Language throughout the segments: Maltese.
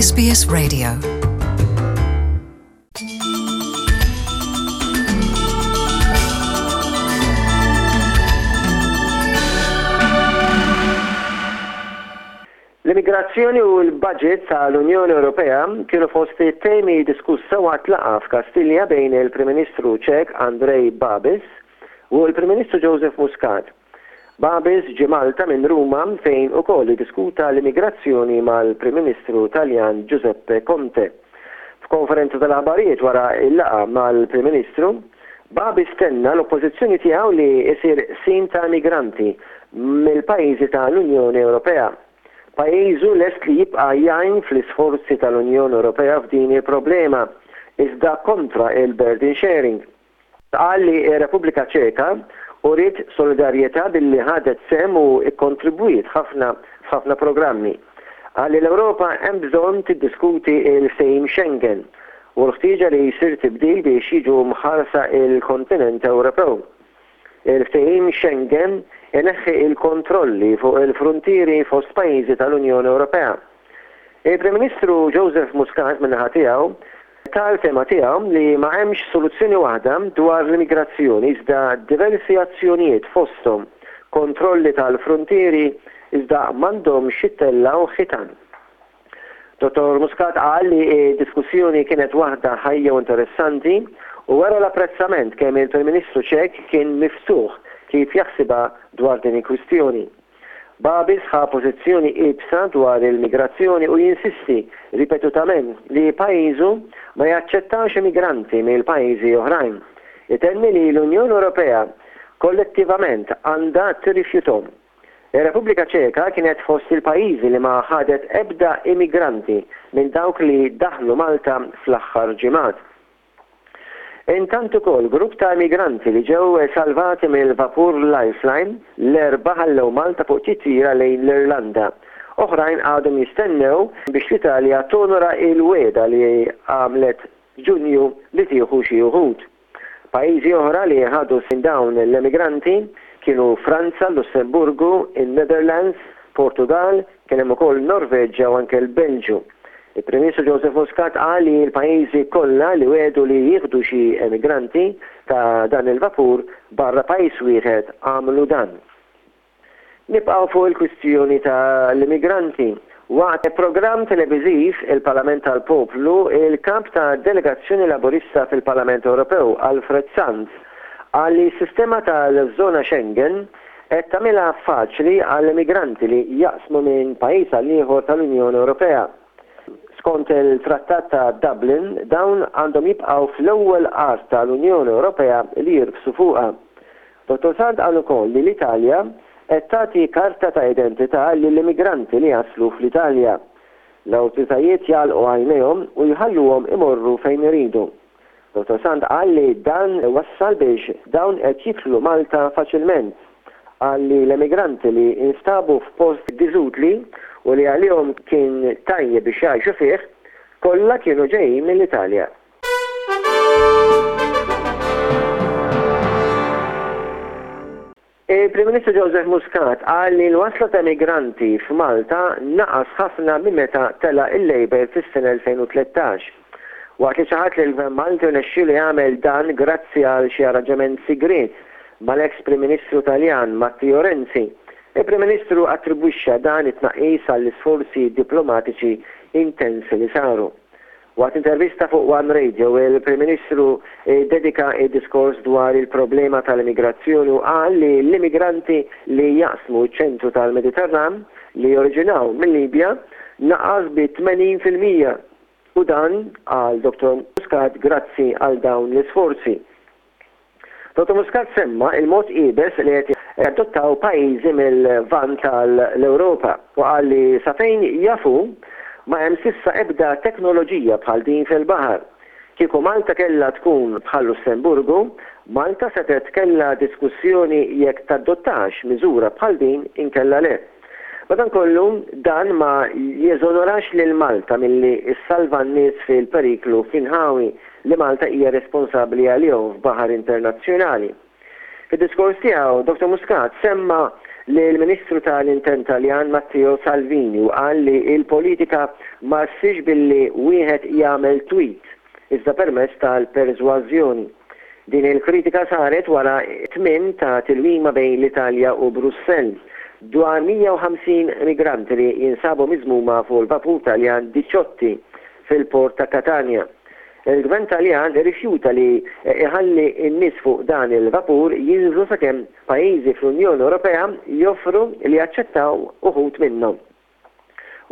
SBS Radio. L-immigrazzjoni u l-budget tal-Unjoni Ewropea kienu fost it-temi diskussa waqt laqgħa f'Kastilja bejn il-Prim Ministru Ċek Andrej Babis u l-Prim Ministru Joseph Muscat. Babis ġie Malta minn Ruma fejn ukoll iddiskuta l-immigrazzjoni mal-Prim Ministru Taljan Giuseppe Conte. F'konferenza tal-aħbarijiet wara l-laqgħa mal-Prim Ministru, Babis tenna l-oppożizzjoni tiegħu li jsir qsim ta' immigranti mill-pajjiżi ta' l-Unjoni Ewropea. Pajjiżu lest li jibqa' jgħin fl-isforzi tal-Unjoni Ewropea f'din il-problema, iżda kontra il-burden sharing. Qal li r-Repubblika Ċeka uriet solidarjetà billi ħadet sehem u kkontribwiet ħafna f'ħafna programmi. Qal li l-Ewropa hemm bżonn tiddiskuti l-ftehim Schengen u l-ħtieġa li jsir tibdil biex jiġu mħarsa l-kontinent Ewropew. Il-ftehim Schengen ineħħi l-kontrolli fuq il-fruntieri fost pajjiżi tal-Unjoni Ewropea. Il-Prim Ministru Joseph Muscat min-naħa tiegħu ta l-fehma tiegħu li ma hemmx soluzzjoni waħda dwar l-immigrazzjoni iżda diversi azzjonijiet fosthom kontrolli tal-fruntieri iżda m'għandhomx jittellgħu ħitan. Dottor Muscat qal li d-diskussjoni kienet waħda ħajja u interessanti u wera l-apprezzament kemm il-Prim Ministru Ċek kien miftuħ kif jaħsibha dwar din il-kwistjoni. Babis ħa pożizzjoni iebsa dwar il-migrazzjoni u jinsisti ripetutament li pajjiżu ma jaċċettax immigranti mill-pajjiżi oħrajn. Itenni li l-Unjoni Ewropea kollettivament għandha tirrifjuthom. Ir-Repubblika Ċeka kienet fost il-pajjiżi li ma ħadet ebda immigranti minn dawk li daħlu Malta fl-aħħar ġimgħat. Intant ukoll grupp ta' immigranti li ġew salvati mill-vapur Lifeline l-Erbgħa ħallew Malta fuq titjira lejn l-Irlanda. Oħrajn għadhom jistennew biex l-Italja tonora il-wegħda li għamlet f'Ġunju li tieħu xi uħud. Pajjiżi oħra li ħadu minn dawn l-emigranti kienu Franza, Lussemburgu, in-Netherlands, Portugall, kien hemm ukoll Norveġġja u anke l-Belġju. Il-Prim Ministru Joseph Muscat qal li l-pajjiżi kollha li wegħdu li jieħdu xi emigranti ta' dan il-vapur barra pajjiż wieħed għamlu dan. Nibqgħu fuq il-kwistjoni ta' l-immigranti. Waqt programm televiżiv Il-Parlament tal-Poplu, il-Kap ta' Delegazzjoni Laburista fil-Parlament Ewropew, Alfred Sant, qal li s-sistema tal-żona Schengen qed tagħmilha faċli għall-immigranti li jaqsmu minn pajjiż għal ieħor tal-Unjoni Ewropea. Skont il-Trattat ta' Dublin, dawn għandhom jibqgħu fl-ewwel art tal-Unjoni Ewropea li jirfsu fuqha. Dottor Sant qal ukoll li l-Italja qed tagħti karta ta' identità lill-immigranti li jaslu fl-Italja. L-awtoritajiet jagħlqu għajnejhom u jħalluhom imorru fejn iridu. Dottor Sant qal li dan wassal biex dawn qed jidħlu Malta faċilment. Qal li l-emigranti li instabu f'post diżutli u li għalihom kien tajjeb biex jgħixu fih, kollha kienu ġejjin mill-Italja. Il-Prim Ministru Joseph Muscat qal li l-wasla ta' immigranti f'Malta naqas ħafna minn meta tela' il-Labour fis-sena 2013. Waqt li ċaħad li l-Gvern Malti rnexxielu jagħmel dan grazzi għal xi arranġament sigriet mal-eks Prim Ministru Taljan Matteo Renzi, il-Prim Ministru attribwixxa dan it-tnaqqis għall-isforzi diplomatiċi intensi li saru. Waqt intervista fuq One Radio, il-Prim Ministru ddedika d-diskors dwar il-problema tal-immigrazzjoni u qal li l-immigranti li jaqsmu ċ-ċentru tal-Mediterran li joriġinaw mil-Libja naqas bi 80% u dan, qal Dottor Muscat, grazzi għal dawn l-isforzi. Dottor Muscat semma il-mod iebes li qed jadottaw pajjiżi mil-Lvant tal-Ewropa u qal li sa fejn jaf hu, ma hemm s'issa ebda teknoloġija bħal din fil-baħar. Kieku Malta kellha tkun bħal Lussemburgu, Malta setgħet kellha diskussjoni jekk tadottax miżura bħal din inkella le. Madankollu, dan ma jeżonorax lil Malta milli ssalva n-nies fil-periklu fl-inħawi li Malta hija responsabbli għalihom f'baħar internazzjonali. Fid-diskors tiegħu, Dottor Muscat semma lill-Ministru tal-Intern Taljan Matteo Salvini u qal li l-politika ma ssirx billi wieħed jagħmel tweet iżda permezz tal-persważjoni. Din il-kritika saret wara t-tmiem ta' tilwima bejn l-Italja u Brussell dwar 150 migranti li jinsabu miżmuma fuq il-vapur Taljan Diciotti fil-port ta' Catania. Il-Gvern Taljan irrifjuta li jħalli n-nies fuq dan il-vapur jinżlu sakemm pajjiżi fl-Unjoni Ewropea joffru li jaċċettaw uħud minnhom.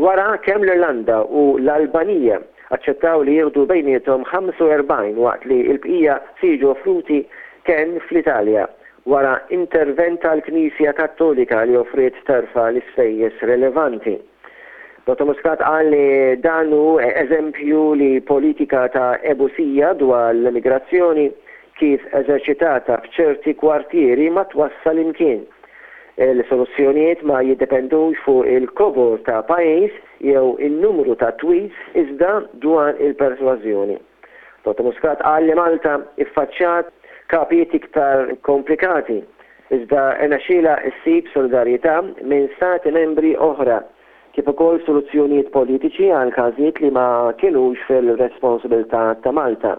Wara, kemm l-Irlanda u l-Albanija aċċettaw li jieħdu bejniethom 45 waqt li l-bqija se jiġu offruti kenn fl-Italja wara intervent tal-Knisja Kattolika li offriet terfa' l-ispejjeż relevanti. Dottor Muscat qal li dan hu eżempju li politika ta' ebusija dwar l-immigrazzjoni kif eżerċitata f'ċerti kwartieri ma twassal imkien. Il-soluzzjonijiet ma jiddependux fuq il-kobor ta' pajjiż jew in-numru ta' tweets iżda dwar il-persważjoni. Dottor Muscat qal li Malta iffaċċjat kapijiet iktar komplikati iżda rnexxielha ssib solidarjetà minn Stati Membri oħra kif ukoll soluzzjonijiet politiċi għal każijiet li ma kinux fil-responsabilità ta' Malta.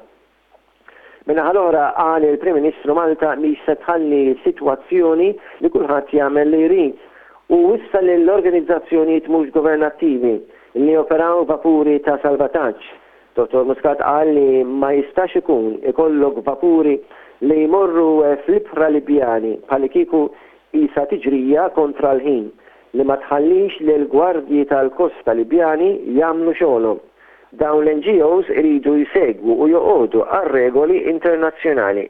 Min-naħa l-oħra, qal il-Prim Ministru Malta mhix se tħalli sitwazzjoni li kulħadd jagħmel li jrid u wissa lill-organizzazzjonijiet mhux governattivi li joperaw vapuri ta' salvataġġ Dottor Muscat qal li ma jistax ikun ikollok vapuri li jmorru fl-ibħra Libjani bħallikieku qisha tiġrija kontra l-ħin li ma tħallix lill-gwardji tal-kosta Libjani jagħmlu xogħolhom. Dawn l-NGOs iridu jsegwu u joqogħdu għar-regoli internazzjonali.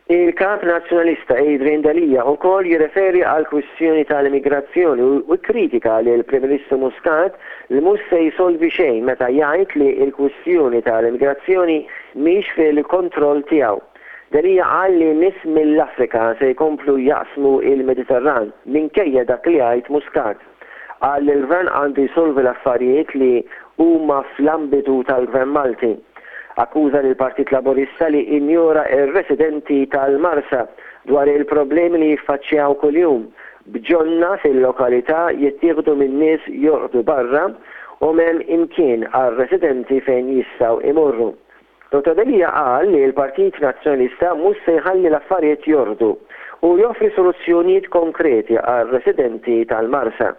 Il-Kap Nazzjonalista Adrian Delia ukoll jirreferi għall-kwistjoni tal-immigrazzjoni u kkritika lill-Prim Ministru Muscat li mhux se jsolvi xejn meta jgħid li l-kwistjoni tal-immigrazzjoni mhix fil-kontroll tiegħu. Delia qal li nies mill-Afrika se jkomplu jaqsmu l-Mediterran minkejja dak li jgħid Muscat. Qal li l-Gvern għandu jsolvi l-affarijiet li huma fl-ambitu tal-Gvern Malti. Akkuża lill-Partit Laburista li injora r-residenti tal-Marsa dwar il-problemi li jiffaċċjaw kuljum, b'ġonna fil-lokalità jittieħdu minn nies jorqdu barra u m'hemm imkien għar-residenti fejn jistgħu imorru. Dottor Delia qal li l-Partit Nazzjonalista mhux se jħalli l-affarijiet jorqdu u joffri soluzzjonijiet konkreti għar-residenti tal-Marsa.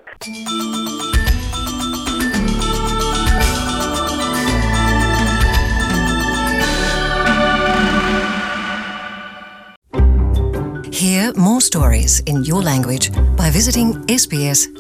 Hear more stories in your language by visiting sbs.com.au.